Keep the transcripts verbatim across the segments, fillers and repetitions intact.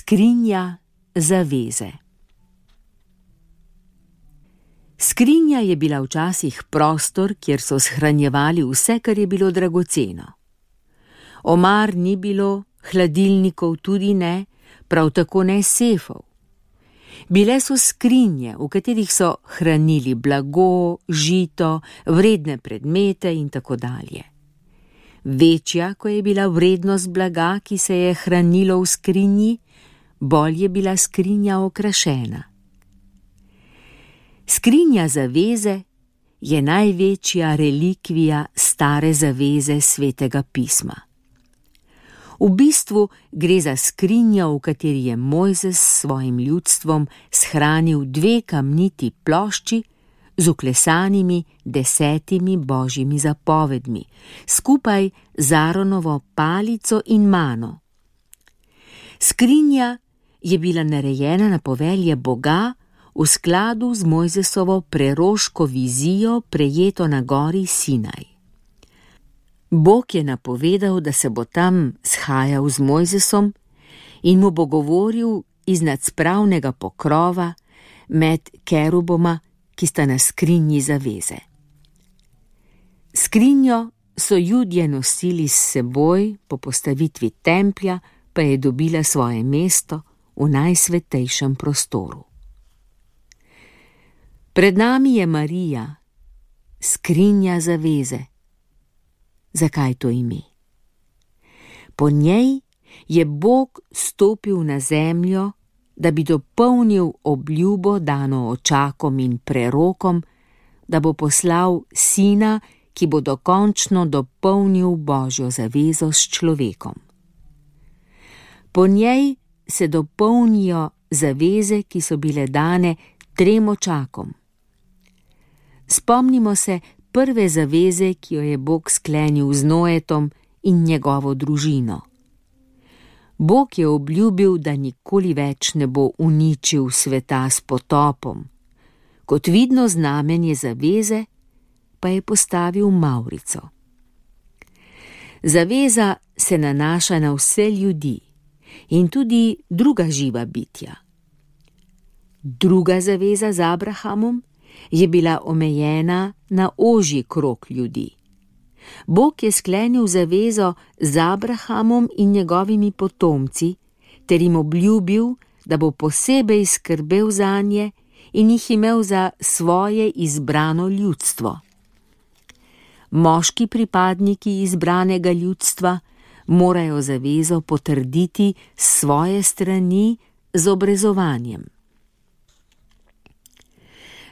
Skrinja zaveze. Skrinja je bila včasih prostor, kjer so shranjevali vse, kar je bilo dragoceno. Omar ni bilo, hladilnikov tudi ne, prav tako ne sefov. Bile so skrinje, v katerih so hranili blago, žito, vredne predmete in tako dalje. Večja, ko je bila vrednost blaga, ki se je hranilo v skrinji, bolj je bila skrinja okrašena. Skrinja zaveze je največja relikvija stare zaveze Svetega pisma. V bistvu gre za skrinjo, v kateri je Mojzes s svojim ljudstvom shranil dve kamniti plošči z vklesanimi desetimi božjimi zapovedmi, skupaj z Aaronovo palico in mano. Skrinja je bila narejena na povelje Boga v skladu z Mojzesovo preroško vizijo, prejeto na gori Sinaj. Bog je napovedal, da se bo tam shajal z Mojzesom in mu bo govoril iz nadspravnega pokrova med keruboma, ki sta na skrinji zaveze. Skrinjo so Judje nosili s seboj, po postavitvi templja pa je dobila svoje mesto v najsvetejšem prostoru. Pred nami je Marija, skrinja zaveze. Zakaj to ime? Po njej je Bog stopil na zemljo, da bi dopolnil obljubo dano očakom in prerokom, da bo poslal sina, ki bo dokončno dopolnil Božjo zavezo s človekom. Po njej se dopolnijo zaveze, ki so bile dane trem očakom. Spomnimo se prve zaveze, ki jo je Bog sklenil z Noetom in njegovo družino. Bog je obljubil, da nikoli več ne bo uničil sveta s potopom. Kot vidno znamenje zaveze pa je postavil mavrico. Zaveza se nanaša na vse ljudi in tudi druga živa bitja. Druga zaveza z Abrahamom je bila omejena na ožji krog ljudi. Bog je sklenil zavezo z Abrahamom in njegovimi potomci ter jim obljubil, da bo posebej skrbel zanje in jih imel za svoje izbrano ljudstvo. Moški pripadniki izbranega ljudstva morajo zavezo potrditi s svoje strani z obrezovanjem.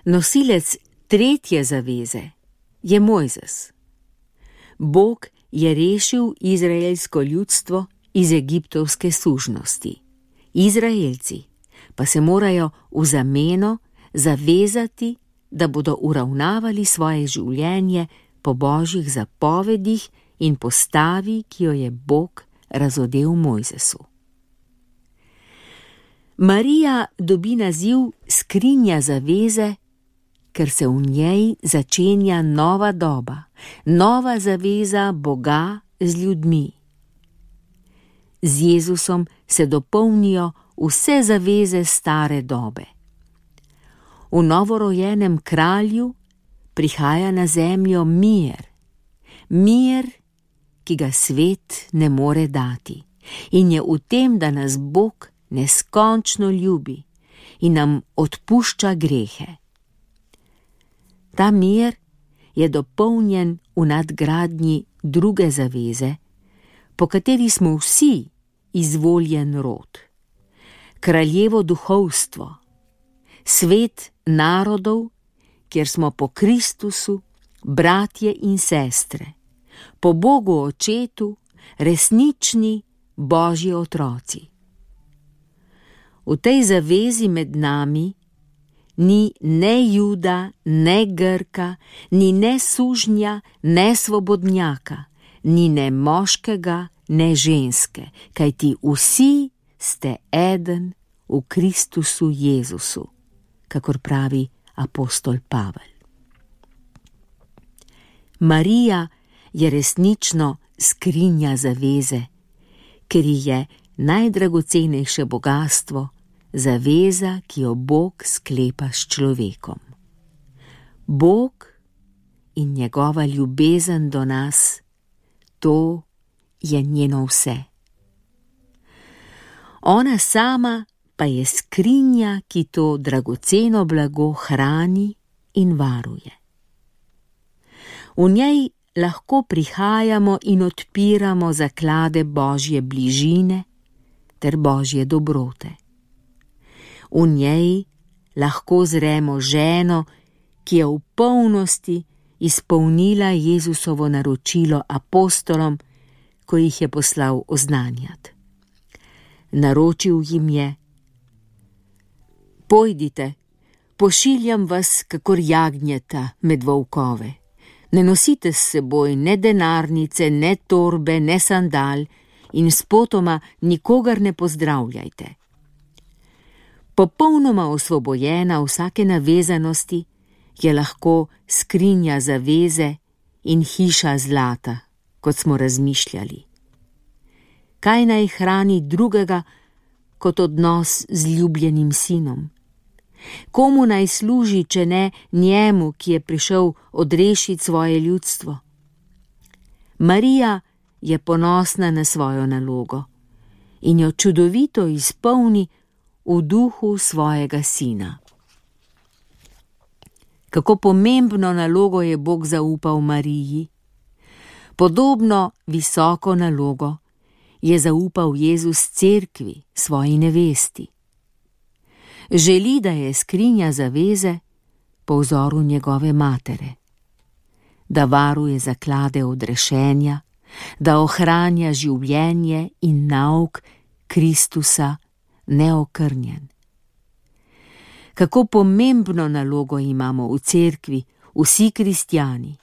Nosilec tretje zaveze je Mojzes. Bog je rešil izraelsko ljudstvo iz egiptovske sužnosti. Izraelci pa se morajo v zameno zavezati, da bodo uravnavali svoje življenje po Božjih zapovedih in postavi, ki jo je Bog razodel Mojzesu. Marija dobi naziv skrinja zaveze, ker se v njej začenja nova doba, nova zaveza Boga z ljudmi. Z Jezusom se dopolnijo vse zaveze stare dobe. V novorojenem kralju prihaja na zemljo mir, mir, ki ga svet ne more dati, in je v tem, da nas Bog neskončno ljubi in nam odpušča grehe. Ta mir je dopolnjen v nadgradnji druge zaveze, po kateri smo vsi izvoljen rod, kraljevo duhovstvo, svet narodov, kjer smo po Kristusu bratje in sestre, po Bogu Očetu resnični Božji otroci. V tej zavezi med nami ni ne Juda, ne Grka, ni ne sužnja, ne svobodnjaka, ni ne moškega, ne ženske, kajti vsi ste eden v Kristusu Jezusu, kakor pravi apostol Pavel. Marija je resnično skrinja zaveze, ker ji je najdragocenejše bogastvo, zaveza, ki jo Bog sklepa s človekom. Bog in njegova ljubezen do nas, to je njeno vse. Ona sama pa je skrinja, ki to dragoceno blago hrani in varuje. V njej lahko prihajamo in odpiramo zaklade Božje bližine ter Božje dobrote. V njej lahko zremo ženo, ki je v polnosti izpolnila Jezusovo naročilo apostolom, ko jih je poslal oznanjati. Naročil jim je: Pojdite, pošiljam vas kakor jagnjeta med volkove. Ne nosite s seboj ne denarnice, ne torbe, ne sandal in spotoma nikogar ne pozdravljajte. Popolnoma osvobojena vsake navezanosti je lahko skrinja zaveze in hiša zlata, kot smo razmišljali. Kaj naj hrani drugega kot odnos z ljubljenim sinom? Komu naj služi, če ne njemu, ki je prišel odrešiti svoje ljudstvo? Marija je ponosna na svojo nalogo in jo čudovito izpolni v duhu svojega sina. Kako pomembno nalogo je Bog zaupal Mariji. Podobno visoko nalogo je zaupal Jezus cerkvi, svoji nevesti. Želi, da je skrinja zaveze po vzoru njegove matere, da varuje zaklade odrešenja, da ohranja življenje in nauk Kristusa neokrnjen. Kako pomembno nalogo imamo v cerkvi vsi kristjani.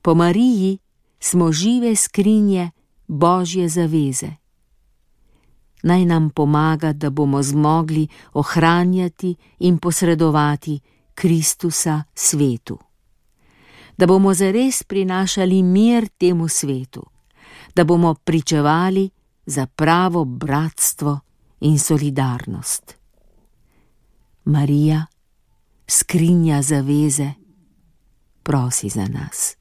Po Mariji smo žive skrinje Božje zaveze. Naj nam pomaga, da bomo zmogli ohranjati in posredovati Kristusa svetu. Da bomo zares prinašali mir temu svetu, da bomo pričevali za pravo bratstvo in solidarnost. Marija, skrinja zaveze, prosi za nas.